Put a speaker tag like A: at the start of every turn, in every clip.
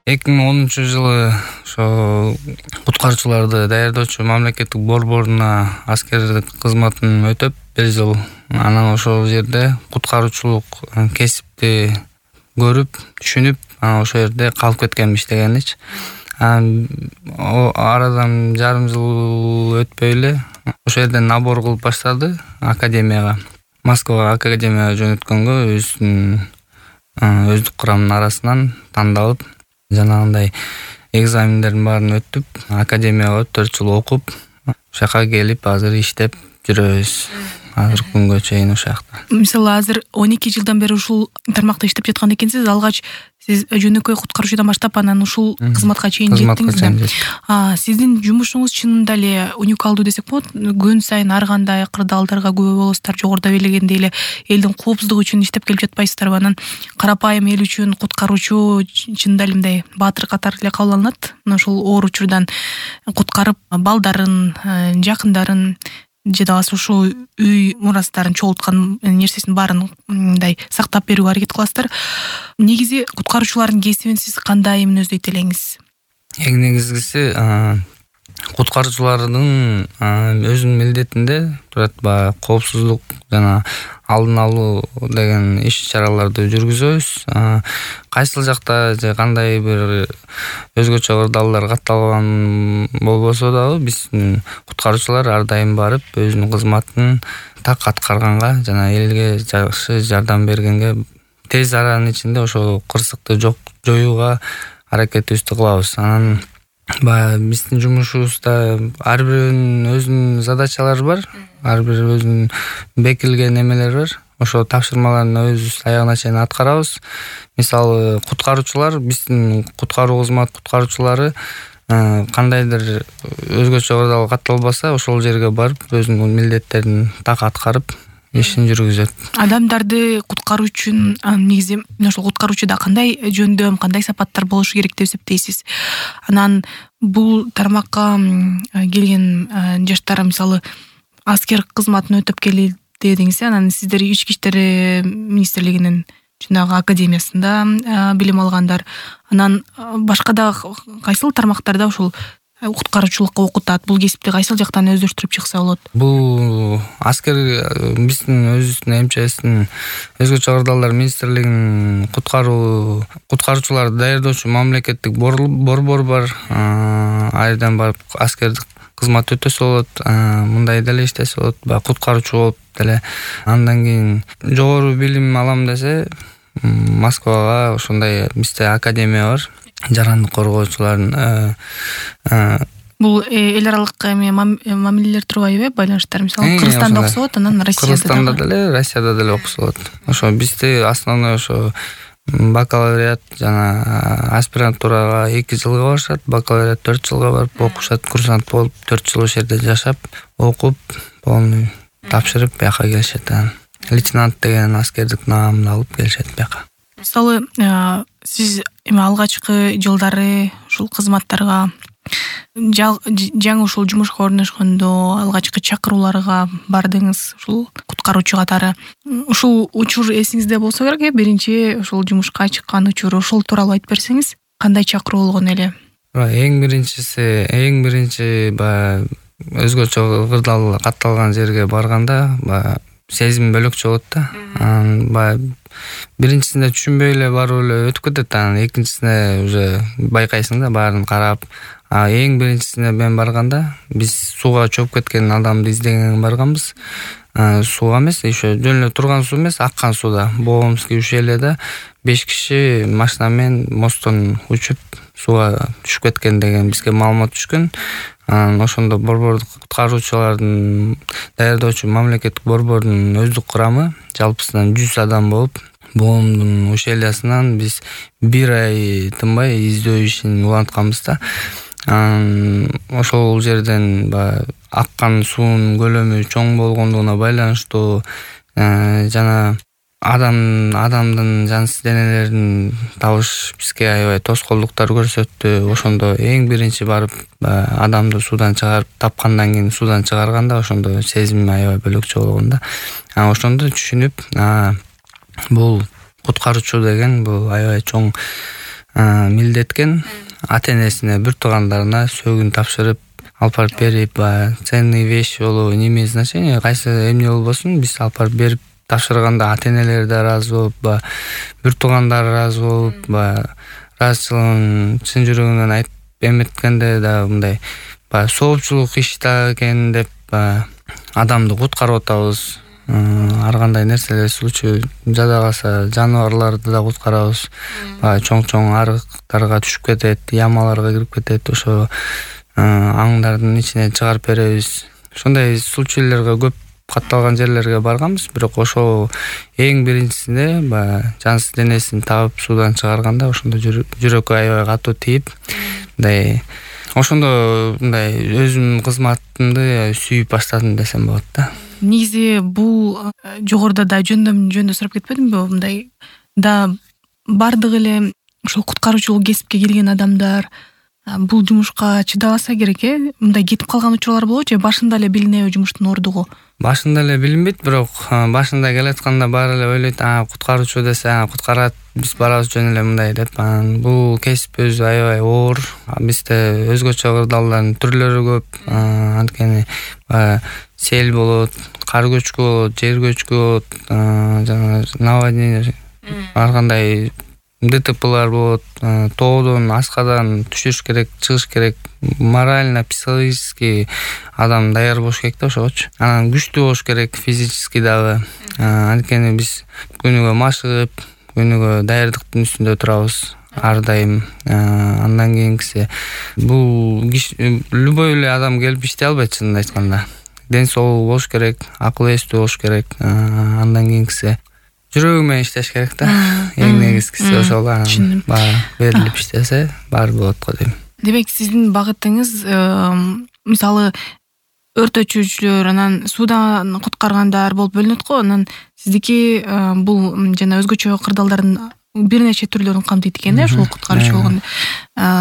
A: 2010-жылы ошо куткаруучуларды даярдоочу мамлекеттик борборуна аскердик кызматын өтөп 1 жыл анан ошол жерде куткаруучулук кесипти көрүп, түшүнүп, ошол жерде калып кеткенмин иштегеничи. Арадан жарым жыл өтпөй эле ошол жерден набор кылып баштады академияга. Москвага академияга жөнөткөнгө өздүк курамдын арасынан тандалып, жанагындай экзамендердин баарын өтүп, академияга 4 жыл окуп, ошол жака келип азыр иштеп жүрөбүз. Азыр күнгө чейин ошол жакта.
B: Мисалы азыр 12 жылдан бери ушул тармакта иштеп жаткан экенсиз. Алгач сиз жөнөкөй куткаруучудан баштап анан ушул кызматка чейин жеттиңиз да. Сиздин жумушуңуз чынында эле уникалдуу десек болот. Күн сайын ар кандай кырдаалдарга күбө болосуздар. Жогоруда белгилегендей эле элдин коопсуздугу үчүн иштеп келип жатпайсыздарбы? Анан карапайым эл үчүн куткаруучу чынында эле мындай баатыр катары эле кабыл алынат. Ошол оор учурдан куткарып балдарын, жакындарын же да ошо үй мурастарын чогулткан нерсесин баарын мындай сактап берүүгө аракет кыласыздар. Негизи куткаруучулардын кесибин сиз кандай мүнөздөйт элеңиз?
A: Эң негизгиси куткаруучулардын өзүнүн милдетинде турат баягы коопсуздук жана алдын алуу деген иш-чараларды жүргүзөбүз. Кайсыл жакта же кандай бир өзгөчө кырдаалдар катталган болбосо дагы биздин куткаруучулар ар дайым барып өзүнүн кызматын так аткарганга жана элге жакшы жардам бергенге, тез аранын ичинде ошол кырсыкты жоюуга аракетибизди кылабыз. Анан баягы биздин жумушубузда ар биринин өзүнүн задачалары бар, ар бир өзүнүн бекилген эмелери бар. Ошо тапшырмаларды өзүбүз аягына чейин аткарабыз. Мисалы куткаруучулар, биздин куткаруу кызмат куткаруучулары кандайдыр өзгөчө кырдаал катталбаса, ошол жерге барып өзүнүн милдеттерин так аткарып ишин жүргүзөт.
B: Адамдарды куткаруу үчүн негизи ошол куткаруучуда кандай жөндөм, кандай сапаттар болушу керек деп эсептейсиз? Анан бул тармакка келген жаштар мисалы аскер кызматын өтөп келди дедиңиз, анан сиздер ички иштер министрлигинин жанагы академиясында билим алгандар. Анан башка да кайсыл тармактарда ушул куткаруучулукка окутат? Бул кесипти кайсыл жактан өздөштүрүп чыкса болот?
A: Бул аскер биздин өзүбүздүн МЧСтин өзгөчө кырдаалдар министрлигинин куткаруучуларды даярдоочу мамлекеттик борбор бар. Айдан барып аскердик кызмат өтөсө болот, мындай деле иштесе болот, куткаруучу болуп деле. Андан кийин жогору билим алам десе, Москвага ошондой бизде академия бар. Жарандык коргоочулардын
B: бул эл аралык мамилелер турбайбы, байланыштар? Мисалы Кыргызстанда окуса болот, анан
A: Кыргызстанда деле, Россияда деле окуса болот. Ошо бизде основной ошо бакалавриат жана аспирантурага 2 жылга барышат, бакалавриат 4 жылга барып окушат, курсант болуп 4 жыл ошол жерде жашап, окуп, полный тапшырып бияка келишет. Лейтенант деген аскердик наамын алып келишет бияка.
B: Мисалы сиз алгачкы жылдары ушул кызматтарга жаңы ушул жумушка орношкондо алгачкы чакырууларга бардыңыз ушул куткаруучу катары. Ушул учур эсиңизде болсо керек, биринчи ушул жумушка чыккан учур, ошол тууралуу айтып берсеңиз, кандай чакыруу болгон эле? Эң
A: биринчи баягы өзгөчө кырдаал катталган жерге барганда баягы сезим бөлөкчө болот да. Баягы биринчисинде түшүнбөй эле барып эле өтүп кетет, анан экинчисинде уже байкайсың да, баарын карап. Эң биринчисине мен барганда биз сууга чөп кеткен адамды издеген барганбыз. Сууга эмес, ошо жөн эле турган суу эмес, аккан сууда. Боомский ущельеда 5 киши машина менен мосттон учуп сууга түшүп кеткен деген бизге маалымат түшкөн. Ошондо борбордук куткаруучулардын даярдоочу мамлекеттик борбордун өздүк курамы жалпысынан 100 адам болуп, боомдун ущельясынан биз 1 ай тынбай издөө ишин улантканбыз да. Ошол жерден аккан суунун көлөмү чоң болгондугуна байланыштуу жана адамдын жансыз денелерин табыш бизге аябай тоскоолдуктар көрсөттү. Ошондо эң биринчи барып адамды суудан чыгарып, тапкандан кийин суудан чыгарганда ошондо сезим аябай бөлөкчө болгон да. Ошондо түшүнүп, бул куткаруучу деген бул аябай чоң милдеткен ата энесине, бир туугандарына сөөгүн тапшырып алып барып берип, ценный вещь болобу, неме значение кайсы эмне болбосун биз алып барып берип тапшырганда ата энелер да ыраазы болуп, бир туугандар ыраазы болуп, ыраазычылыгын чын жүрөгүнөн айтып эметкенде да мындай соопчулук иш да экен деп адамды куткарып атабыз. Ар кандай нерселер случай жада калса жаныбарларды да куткарабыз. Чоң арыктарга түшүп кетет, ямаларга кирип кетет, ошо аңдардын ичине чыгарып беребиз. Ошондой случайларга көп катталган жерлерге барганбыз, бирок ошо эң биринчисинде жансыз денесин табып суудан чыгарганда ошондо жүрөккө аябай катуу тийип, мындай ошондо мындай өзүмдүн кызматымды сүйүп баштадым десем болот да.
B: Негизи бул жогоруда да жөндөм сурап кетпедимби? Мындай да бардык эле ушул куткаруучулук кесипке келген адамдар бул жумушка чыдабаса керек, мындай кетип калган учурлар болобу же башында эле билинеби жумуштун ордугу?
A: Башында эле билинбейт, бирок башында келатканда баары эле ойлойт, куткаруучу десе куткарат, биз барабыз жөн эле мындай деп. Бул кесип өзү аябай оор. Бизде өзгөчө кырдаалдардын түрлөрү көп. Анткени сел болот, кар көчкү болот, жер көчкү болот, жана наводнение, ар кандай ДТПлар болот, тоодон, аскадан түшүш керек, чыгыш керек. Морально, психологически адам даяр болуш керек да ошогочу. Анан күчтүү болуш керек, физически дагы. Анткени биз күнүгө машыгып, күнүгө даярдыктын үстүндө турабыз ар дайым. Андан кийинкиси бул любой эле адам келип иштей албайт, чынын айтканда. Ден соолугу болуш керек, акыл эстүү болуш керек. Андан кийинкиси жүрөгү менен иштеш керек да. Эң негизгиси ошол. Баары берилип иштесе баары болот го дейм.
B: Демек сиздин багытыңыз мисалы өртөчүчүлөр, анан суудан куткаргандар болуп бөлүнөт го. Анан сиздики бул жана өзгөчө кырдаалдардын бир нече түрлөрүн камтыйт экен да, ушул куткаруучулугун.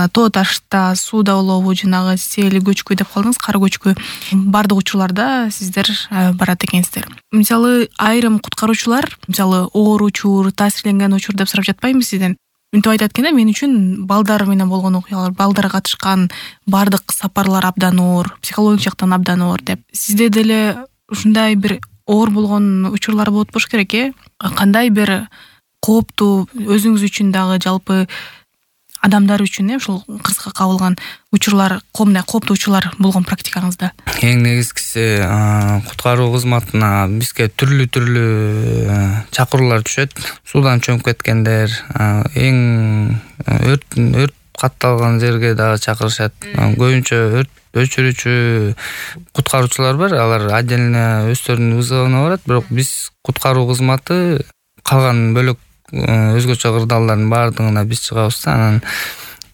B: Тоо ташта, сууда болобу, жанагы сел көчкү деп калдыңыз, кар көчкү. Бардык учурларда сиздер барат экенсиздер. Мисалы айрым куткаруучулар, мисалы оор учур, таасирленген учур деп сурап жатпайбы сизден? Мынтип айтат экен да, мен үчүн балдар менен болгон окуялар, балдар катышкан бардык сапарлар абдан оор, психологик жактан абдан оор деп. Сизде деле ушундай бир оор болгон учурлар болот болуш керек, Кандай бир кооптуу, өзүңүз үчүн дагы жалпы адамдар үчүн ушул кырсыкка кабылган учурлар, комдай кооптуу учурлар болгон практикаңызда?
A: Эң негизгиси куткаруу кызматына бизге түрлүү чакыруулар түшөт. Суудан чөмүп кеткендер, эң өрт катталган жерге дагы чакырышат. Көбүнчө өрт өчүрүүчү куткаруучулар бар, алар отдельно өздөрүнүн вызовуна барат, бирок биз куткаруу кызматы калган бөлөк өзгөчө кырдаалдардын баардыгына биз чыгабыз. Анан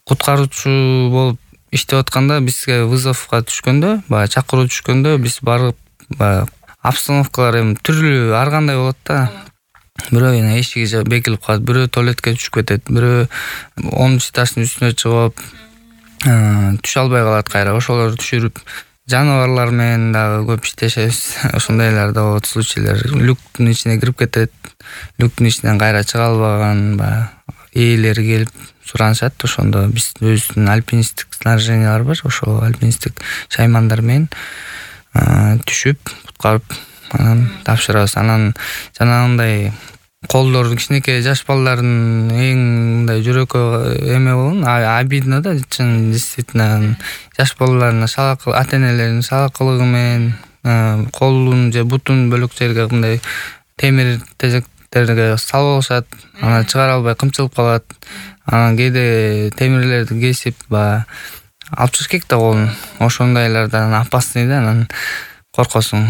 A: куткаруучу болуп иштеп атканда бизге вызовго түшкөндө, чакыруу түшкөндө биз барып обстановкалар эми түрлүү ар кандай болот да. Бирөө эшиги бекилип калат, бирөө туалетке түшүп кетет, бирөө 10 этаждын үстүнө чыгып түшө албай калат кайра. Ошолорду түшүрүп жаныбарлар менен дагы көп иштешебиз. Ошондойлор да болот, случайлар. Люктун ичине кирип кетет, люктун ичинен кайра чыга албаган ээлери келип суранышат. Ошондо биз өзүбүздүн альпинисттик снаряжениялар бар, ошол альпинисттик шаймандар менен түшүп, куткарып, анан тапшырабыз. Анан жанагындай колдор кичинекей жаш балдардын эң мындай жүрөккө эме болгон, обидно да, чын действительно жаш балдардын ата энелеринин салакылыгы менен колун же бутун бөлөк жерге мындай темир тезектерге салып алышат, анан чыгара албай кымчылып калат. Анан кээде темирлерди кесип алып чыгыш керек да колун. Ошондойлордон опасный да, анан коркосуң.